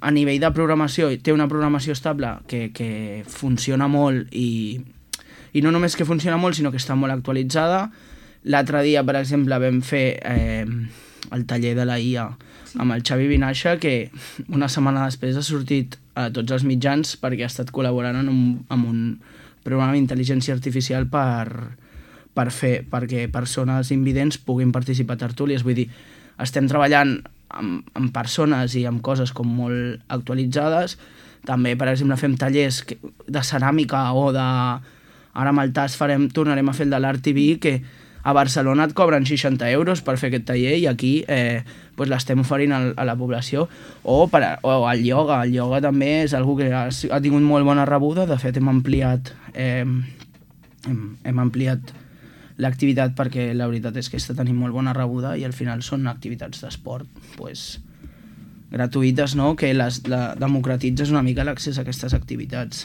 a nivell de programació té una programació estable que funciona molt i no només que funciona molt, sinó que està molt actualitzada. L'altre dia, per exemple, vam fer el taller de la IA amb el Xavi Vinaixa, que una setmana després ha sortit a tots els mitjans perquè ha estat col·laborant amb un programa d'intel·ligència artificial perquè persones invidents puguin participar a tertúlies. Vull dir, estem treballant amb persones i amb coses com molt actualitzades. També, per exemple, fem tallers de ceràmica o de... Ara amb el TAS tornarem a fer el de l'Art TV, que a Barcelona et cobren 60 euros per fer aquest taller i aquí l'estem oferint a la població. O el ioga. El ioga també és una que ha tingut molt bona rebuda. De fet, hem ampliat l'activitat perquè la veritat és que està tenint molt bona rebuda i al final són activitats d'esport gratuïtes, no? Que democratitzes una mica l'accés a aquestes activitats.